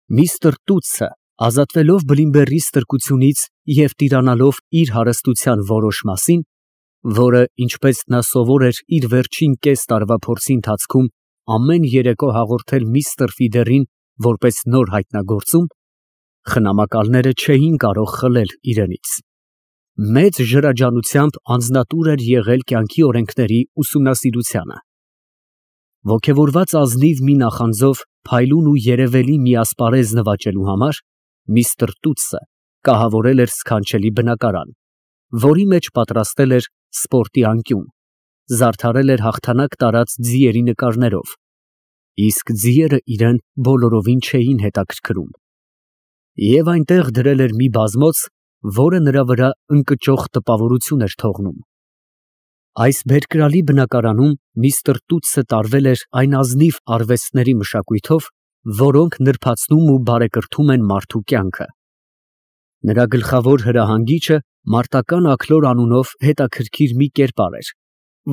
Միսթր Տուտսը, ազատվելով Բլիմբերի ստրկությունից և տիրանալով իր հարստության որոշ մասին, որը, ինչպես նա սովոր էր իր վերջին կես տարվա փորձի ընթացքում ամեն երեկո հաղորդել միստր Ֆիդերին որպես նոր հայտնագործում, խնամակալները չէին կարող խլել իրենից։ Մեծ ջրաջանությամբ անձնատուր էր եղել կյանքի օրենքների ուսումնասիրությանը։ Ոգևորված ազնիվ մի նախանձով փայլուն ու երևելի մի ասպարեզ նվաճելու համար միստր Տուտսը կահավորել էր սքանչելի բնակարան, որի մեջ պատրաստել էր սպորտի անկյուն, զարդարել էր հաղթանակ տարած ձիերի նկարներով, իսկ ձիերը իրան բոլորովին չէին հետաքրքրում, և այնտեղ դրել էր մի բազմոց, որը նրա վրա ընկճող տպավորություն էր թողնում։ Այս բերկրալի բնակարանում միստր Տուտսը տարվել էր այն ազնիվ արվեստների մշակույթով, որոնք նրբացնում ու բարեկրթում են մարդու կյանքը։ Նրա գլխավոր հրահանգիչը մարտական աքլոր անունով հետաքրքիր մի կերպար էր,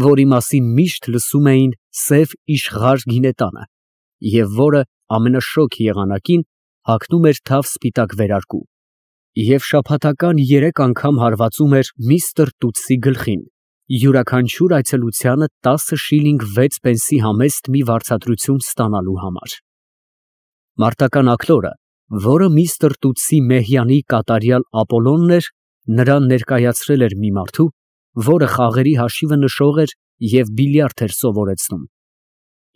որի մասին միշտ լսում էին սև իշխղար գինետանը, և որը ամենաշոգ եղանակին հագնում էր թավ սպիտակ վերարկու, և շաբաթական 3 անգամ հարվածում էր միստր Տուտսի գլխին, յուրաքանչյուր այցելությանը 10 շիլինգ 6 պենսի համեստ մի վարձատրություն ստանալու համար։ Մարտական աքլորը, որը միստր Տուտսի մեհյանի կատարյալ Ապոլոնն էր, նրան ներկայացրել էր մի մարդու, որը խաղերի հաշիվը նշող էր և բիլիարդ էր սովորեցնում,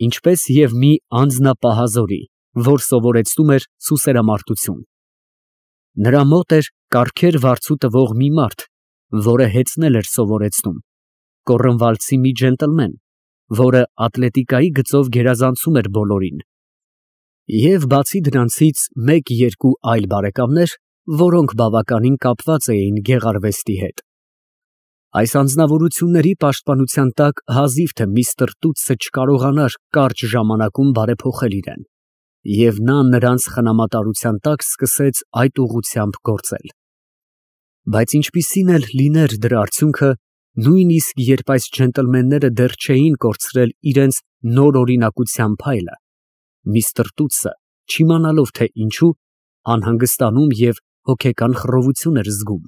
ինչպես և մի անձնապահազորի, որ սովորեցնում էր սուսերամարտություն։ Նրա մոտ էր կառքեր վարձու տվող մի մարդ, որը հեծնել էր սովորեցնում, կոռնվալցի մի ջենտլմեն, որը ատլետիկայի գծով գերազանցում էր բոլորին, և բացի դրանցից մեկ-երկու այլ բարեկամներ, որոնք բավականին կապված էին գեղարվեստի հետ։ Այս անձնավորությունների պաշտպանության տակ հազիվ թե միստր Տուտսը չկարողանար կարճ ժամանակում բարեփոխել իրան, և նա նրանց խնամատարության տակ սկսեց այդ ուղղությամբ գործել։ Բայց ինչպիսին էլ լիներ դրա արդյունքը, նույնիսկ երբ այս ջենտլմենները դեռ չէին կորցրել իրենց նոր օրինակության փայլը, միստր Տուտսը, չիմանալով թե ինչու, անհանգստանում և հոգեկան խռովություն էր զգում։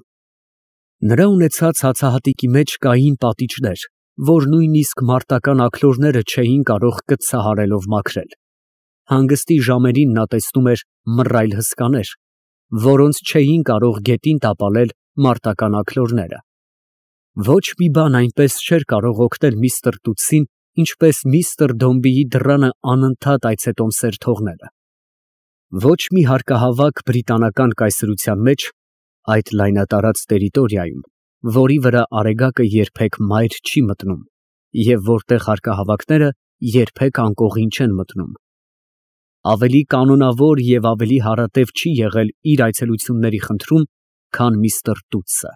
Նրա ունեցած հացահատիկի մեջ կային պատիճներ, որ նույնիսկ մարտական աքլորները չէին կարող կծցահարելով մաքրել։ Հանգստի ժամերին նա տեսնում էր մռայլ հսկաներ, որոնց չէին կարող գետին տապալել մարտական աքլորները։ Ոչ մի բան այնպես չէր կարող օգնել միստր Տուտսին, ինչպես միստր Դոմբիի դռանը անընդհատ այցետոմսեր թողնելը։ Ոչ մի հարկահավաք բրիտանական կայսրության մեջ, այդ լայնատարած տերիտորիայում, որի վրա արեգակը երբեք մայր չի մտնում, և որտեղ հարկահավաքները երբեք անկողին չեն մտնում, ավելի կանոնավոր և ավելի հարատև չի եղել իր այցելությունների խնդրում, քան միստր Տուտսը։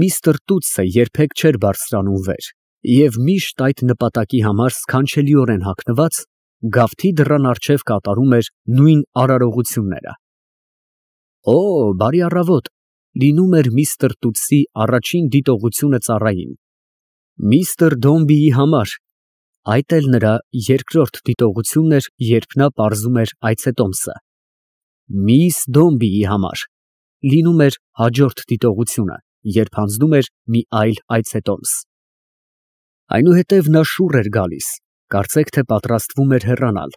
Միստր Տուտսը երբեք չէր բարձրանում վեր և միշտ այդ նպատակի համար սքանչելիորեն հագնված, գավթի դռան առջև կատարում էր նույն արարողությունները։ «Օ, բարի առավոտ», լինում էր միստր Տուտսի առաջին դիտողությունը ծառային։ «Միստր Դոմբիի համար», այդ էլ նրա երկրորդ դիտողությունն էր, երբ նա պարզում էր այցետոմսը։ «Միս Դոմբիի համար», լինում էր հաջորդ դիտողությունը, երբ հանձնում էր մի այլ այցետոմս։ Այնուհետև նա շուռ էր գալիս, կարծեք թե պատրաստվում էր հեռանալ,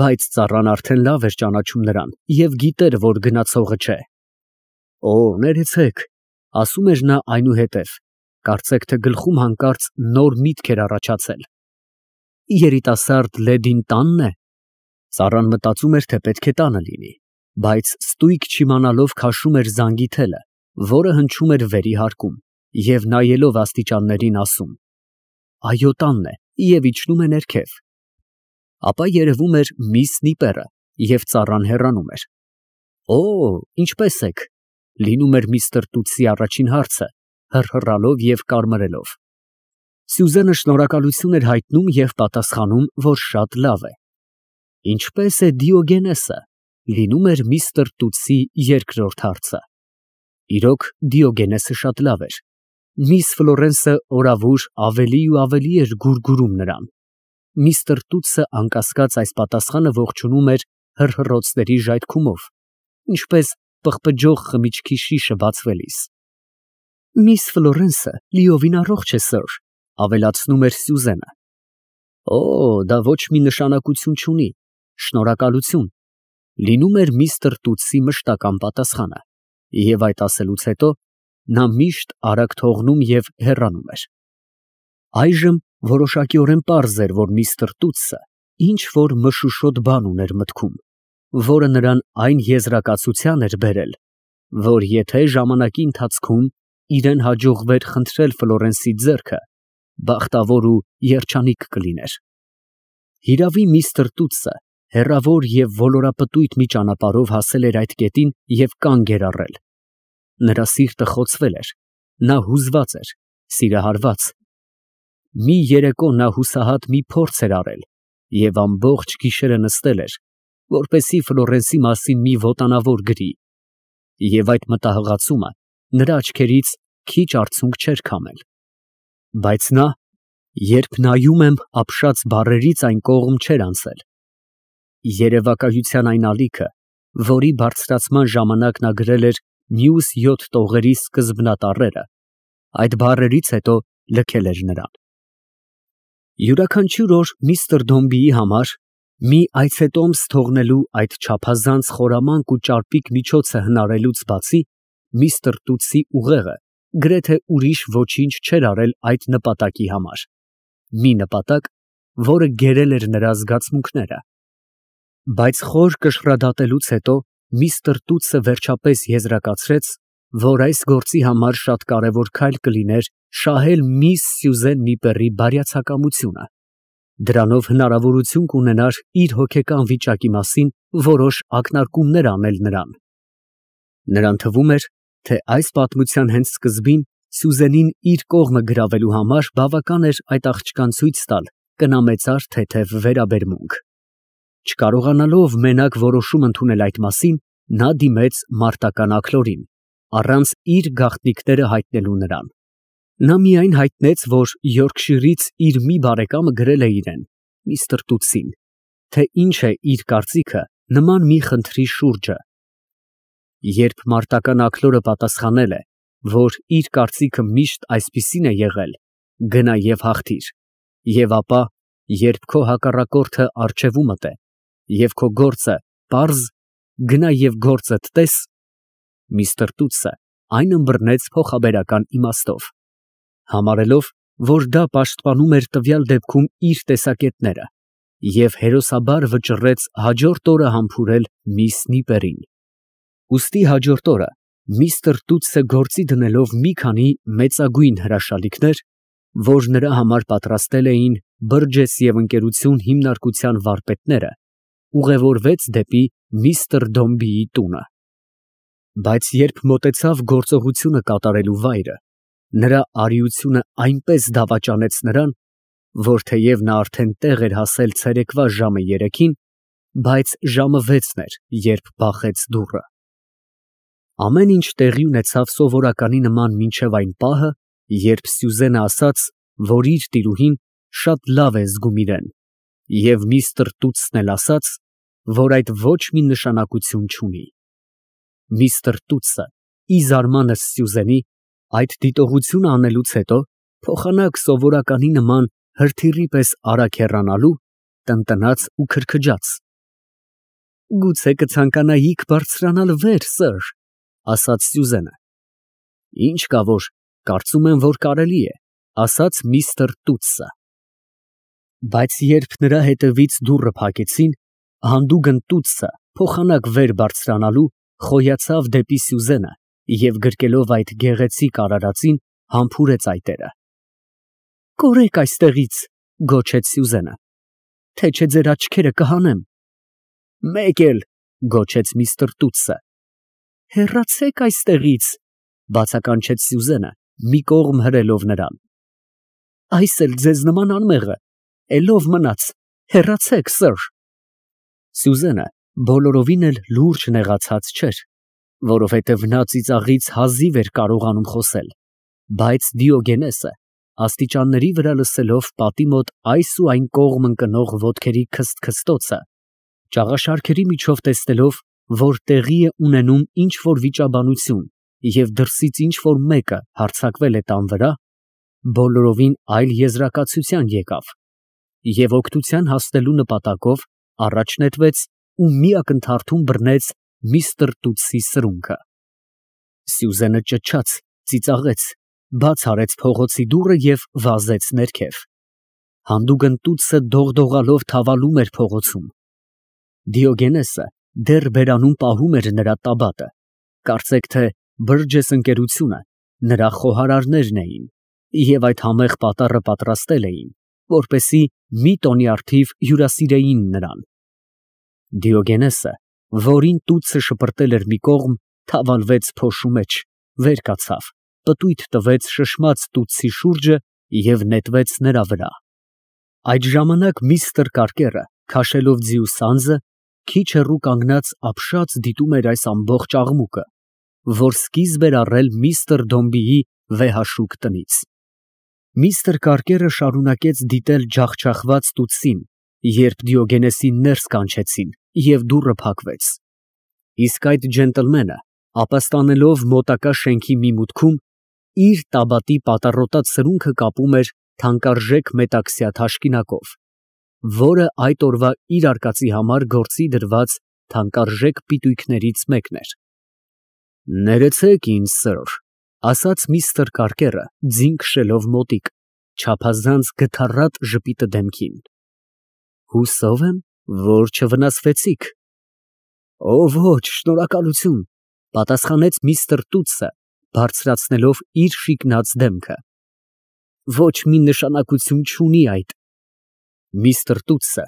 բայց ծառան արդեն լավ էր ճանաչում նրան և գիտեր, որ գնացողը չէ։ «Օ, ներեցեք», ասում էր նա այնուհետև, կարծեք թե գլխում հանկարծ նոր միտք էր առաջացել։ «Երիտասարդ լեդին տա՞նն է»։ Ծառան մտածում էր, թե պետք է տանը լինի, բայց ստույգ չիմանալով քաշում էր զանգի թելը, որը հնչում էր վերի հարկում, և նայելով աստիճաններին ասում. «Այո, տանն է» և իջնում է ներքև։ Ապա երևում էր միս Նիպերը, և ծառան հեռանում էր։ «Օ, ինչպե՞ս եք», լինում էր միստր Տուտսի առաջին հարցը, հռհռալով և կարմրելով։ Սյուզենը շնորհակալություն էր հայտնում և պատասխանում, որ շատ լավ է։ «Ինչպե՞ս է Դիոգենեսը», լինում էր միստր Տուտսի երկրորդ հարցը։ Իրոք, Դիոգենեսը շատ լավ էր։ Միս Ֆլորենսը օրավուր ավելի ու ավելի էր գուրգուրում նրան։ Միստր Տուտսը անկասկած այս պատասխանը ողջունում էր հռհռոցների ժայթքումով, ինչպես պղպջող խմիչքի շիշը բացվելիս։ Միս Ֆլորենսը լիովին առողջ է, սըր, ավելացնում էր Սյուզենը։ Օ, դա ոչ մի նշանակություն չունի, շնորհակալություն, լինում էր միստր Տուտսի մշտական պատասխանը, և այդ ասելուց հետո նա միշտ արագ թողնում և հեռանում էր։ Այժմ որոշակիորեն պարզ էր, որ միստր Տուտսը ինչ որ մշուշոտ բան ուներ մտքում, որը նրան այն եզրակացության էր բերել, որ եթե ժամանակի ընթացքում իրան հաջողվեր խնդրել Ֆլորենսի ձեռքը, բախտավոր ու երջանիկ կլիներ։ Հիրավի միստր Տուտսը հեռավոր և ոլորապտույտ մի ճանապարհով հասել էր այդ կետին և կանգ էր առել։ Նրա սիրտը խոցվել էր, նա հուզված էր, սիրահարված։ Մի երեկո նա հուսահատ մի փորձ էր արել և ամբողջ գիշերը նստել էր, որպեսզի Ֆլորենսի մասին մի ոտանավոր գրի, և այդ մտահղացումը նրա աչքերից քիչ արցունք չէր քամել։ Բայց նա, երբ նայում եմ ապշած բառերից այն կողմ չէր անցել։ Երևակայության այն ալիքը, որի բարձրացման ժամանակ նա գրել էր մյուս 7 տողերի սկզբնատառերը, այդ բառերից հետո լքել էր նրան։ Յուրաքանչյուր օր միստր Դոմբիի համար մի այցետոմս թողնելու այդ չափազանց խորամանկ ու ճարպիկ միջոցը հնարելուց բացի, միստր Տուտսի ուղեղը գրեթե ուրիշ ոչինչ չէր արել այդ նպատակի համար, մի նպատակ, որը գերել էր նրա զգացմունքները։ Բայց խոր կշռադատելուց հետո միստր Տուտսը վերջապես եզրակացրեց, որ այս գործի համար շատ կարևոր քայլ կլիներ շահել միս Սյուզեն Նիպերի բարյացակամությունը։ Դրանով հնարավորություն կունենար իր հոգեկան վիճակի մասին որոշ ակնարկումներ անել նրան։ Նրան թվում էր, թե այս պատմության հենց սկզբին Սյուզենին իր կողմը գրավելու համար բավական էր այդ աղջկան ցույց տալ կնամեծար թեթև վերաբերմունք։ Չկարողանալով մենակ որոշում ընդունել այդ մասին, նա դիմեց մարտական աքլորին, առանց իր գաղտնիքները հայտնելու նրան։ Նա միայն հայտնեց, որ Յորքշիրից իր մի բարեկամը գրել է իրան, միստր Տուտսին, թե ինչ է իր կարծիքը նման մի խնդրի շուրջը։ Երբ մարտական աքլորը պատասխանել է, որ իր կարծիքը միշտ այսպիսին է եղել, գնա և հաղթիր, և ապա, երբ քո հակառակորդը առջևումդ է, և քո գործը պարզ, գնա և գործդ տես, միստր Տուտսը այն ըմբռնեց փոխաբերական իմաստով, համարելով, որ դա պաշտպանում էր տվյալ դեպքում իր տեսակետները, և հերոսաբար վճռեց հաջորդ օրը համբուրել միս Նիպերին։ Ուստի հաջորդ օրը միստր Տուտսը գործի դնելով մի քանի մեծագույն հրաշալիքներ, որ նրա համար պատրաստել էին Բըրջես և Ընկերություն հիմնարկության վարպետները, ուղևորվեց դեպի միստր Դոմբիի տունը։ Բայց երբ մոտեցավ գործողությունը կատարելու վայրը, նրա արիությունը այնպես դավաճանեց նրան, որ թեև նա արդեն տեղ էր հասել ցերեկվա ժամը 3-ին, բայց ժամը 6-ն էր, երբ բախեց դուռը։ Ամեն ինչ տեղի ունեցավ սովորականի նման մինչև այն պահը, երբ Սյուզենը ասաց, որ իր տիրուհին շատ լավ է զգում իրան, և միստր Տուտսն էլ ասաց, որ այդ ոչ մի նշանակություն չունի։ Միստր Տուտսը, ի զարմանս Սյուզենի, այդ դիտողությունը անելուց հետո, փոխանակ սովորականի նման հրթիռի պես արագ հեռանալու, տնտնաց ու քրքջաց։ Գուցե կցանկանայիք բարձրանալ վեր, սըր, ասաց Սյուզենը։ Ինչ կա որ, կարծում եմ, որ կարելի է, ասաց միստր Տուտսը։ Բայց երբ նրա հետևից դուռը փակեցին, հանդուգն Տուտսը փոխանակ վեր բարձրանալու խոյացավ դեպի Սյուզենը և գրկելով այդ գեղեցիկ արարածին համբուրեց այտերը։ Կորեք այստեղից, գոչեց Սյուզենը, թե չէ ձեր աչքերը կհանեմ։ Մեկ էլ, գոչեց միստր Տուտսը։ Հեռացեք այստեղից, բացականչեց Սյուզենը, մի կողմ հրելով նրան։ Այս էլ ձեզ նման անմեղը, էլով մնաց, հեռացեք, սըր։ Սյուզենը բոլորովին էլ լուրջ նեղացած չէր, որովհետև նա ծիծաղից հազիվ էր կարողանում խոսել, բայց Դիոգենեսը, աստիճանների վրա լսելով պատի մոտ այս ու այն կողմ ընկնող ոտքերի քսթքստոցը, Ճաղաշարքերի միջով տեսնելով, որ տեղի է ունենում ինչ-որ վիճաբանություն և դրսից ինչ-որ մեկը հարձակվել է տան վրա, բոլորովին այլ եզրակացության եկավ և օգնության հասնելու նպատակով առաջ նետվեց ու մի ակնթարթում բռնեց միստր Տուտսի սրունքը։ Սյուզենը ճչաց, ծիծաղեց, բաց արեց փողոցի դուռը և վազեց ներքև։ Հանդուգն Տուտսը դողդողալով թավալում էր փողոցում։ Դիոգենեսը դեռ բերանում պահում էր նրա տաբատը, կարծեք թե Բըրջես ընկերությունը նրա խոհարարներն էին և այդ համեղ պատառը պատրաստել էին, որպեսզի մի տոնի արդիվ հյուրասիրեին նրան։ Դիոգենեսը, որին Տուտսը շպրտել էր մի կողմ, թավալվեց փոշու մեջ, վեր կացավ, պտույտ տվեց շշմած Տուտսի շուրջը և նետվեց նրա վրա։ Այդ ժամանակ միստր Կարկերը, քաշելով ձիու սանձը, քիչ հեռու կանգնած ապշած դիտում էր այս ամբողջ աղմուկը, որ սկիզբ էր առել միստր Դոմբիի վեհաշուկ տնից։ Միստր Կարկերը շարունակեց դիտել ջախջախված Տուտսին, երբ Դիոգենեսին ներս կանչեցին և դուռը փակվեց։ Իսկ այդ ջենտլմենը, ապաստանելով մոտակա շենքի մի մուտքում, իր տաբատի պատառոտած սրունքը կապում էր թանկարժեք մետաքսյա թաշկինակով, որը այդ օրվա իր արկածի համար գործի դրված թանկարժեք պիտույքներից մեկն էր։ «Ներեցեք ինձ, սըր», ասաց միստր Կարկերը, ձին քշելով մոտիկ, չափազանց գթառատ ժպիտը դեմքին։ «Հուսով եմ, որ չվնասվեցիք»։ «Օ, ոչ, շնորհակալություն», պատասխանեց միստր Տուտսը, բարձրացնելով իր շիկնած դեմքը։ «Ոչ մի նշանակություն չունի այդ»։ Միստր Տուտսը,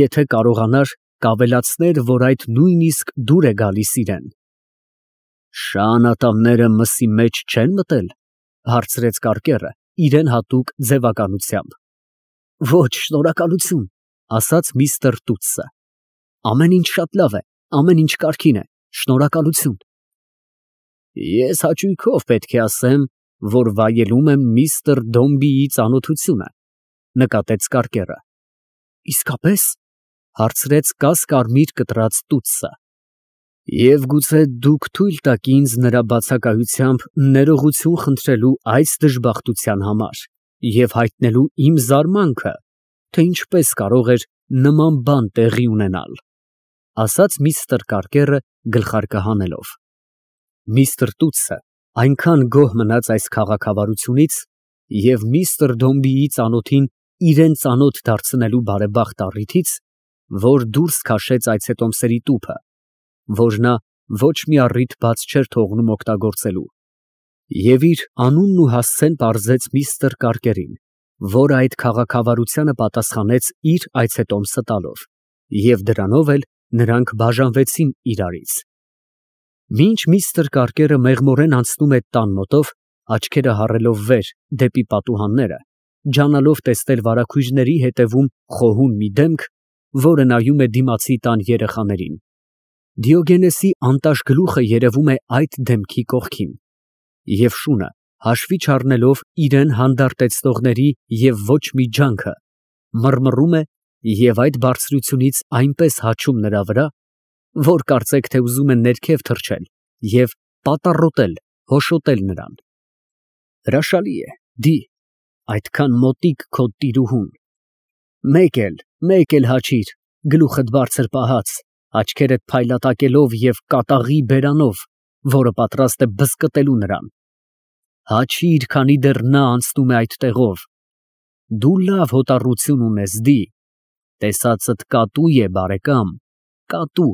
եթե կարողանար, կավելացներ, որ այդ նույնիսկ դուր է գալիս իրան։ «Շան ատամները մսի մեջ չեն մտել», հարցրեց Կարկերը իրան հատուկ ձևականությամբ։ «Ոչ, շնորհակալություն», ասաց միստր Տուտսը։ «Ամեն ինչ շատ լավ է, ամեն ինչ կարգին է, շնորհակալություն»։ «Ես հաճույքով պետք է ասեմ, որ վայելում եմ միստր Դոմբիի ծանոթությունը», նկատեց Կարկերը։ «Իսկապես», հարցրեց կաս֊կարմիր կտրած Տուտսը։ «Եվ գուցե դուք թույլ տաք ինձ նրա բացակայությամբ ներողություն խնդրելու այս դժբախտության համար և հայտնելու իմ զարմանքը, թե ինչպես կարող էր նման բան տեղի ունենալ», ասաց միստր Կարկերը գլխարկը հանելով։ Միստր Տուտսը այնքան գոհ մնաց այս քաղաքավարությունից և միստր Դոմբիի ծանոթին իրան ծանոթ դարձնելու բարեբախտ առիթից, որ դուրս քաշեց այցետոմսերի տուփը, որ նա ոչ մի առիթ բաց չէր թողնում օգտագործելու, և իր անունն ու հասցեն պարզեց միստր Կարկերին, որը այդ քաղաքավարությանը պատասխանեց իր այցետոմսը տալով, և դրանով էլ նրանք բաժանվեցին իրարից։ Մինչ միստր Կարկերը մեղմորեն անցնում է տան մոտով, աչքերը հառելով վեր դեպի պատուհանները, ջանալով տեսնել վարագույրների հետևում խոհուն մի դեմք, որը նայում է դիմացի տան երեխաներին, Դիոգենեսի անտաշ գլուխը երևում է այդ դեմքի կողքին, և շունը, հաշվի չառնելով իրան հանդարտեցնողների և ոչ մի ջանքը, մռմռում է և այդ բարձրությունից այնպես հաչում նրա վրա, որ կարծեք թե ուզում է ներքև թռչել և պատառոտել, հոշոտել նրան։ Հրաշալի է, դի, այդքան մոտիկ քո տիրուհուն։ Մեկ էլ հաչիր, գլուխդ բարձր պահած, աչքերդ փայլատակելով և կատաղի բերանով, որը պատրաստ է բզկտելու նրան։ Հաչիր, քանի դեռ նա անցնում է այդ տեղով։ Դու լավ հոտառություն ունես, դի, տեսածդ կատու է, բարեկամ, կատու։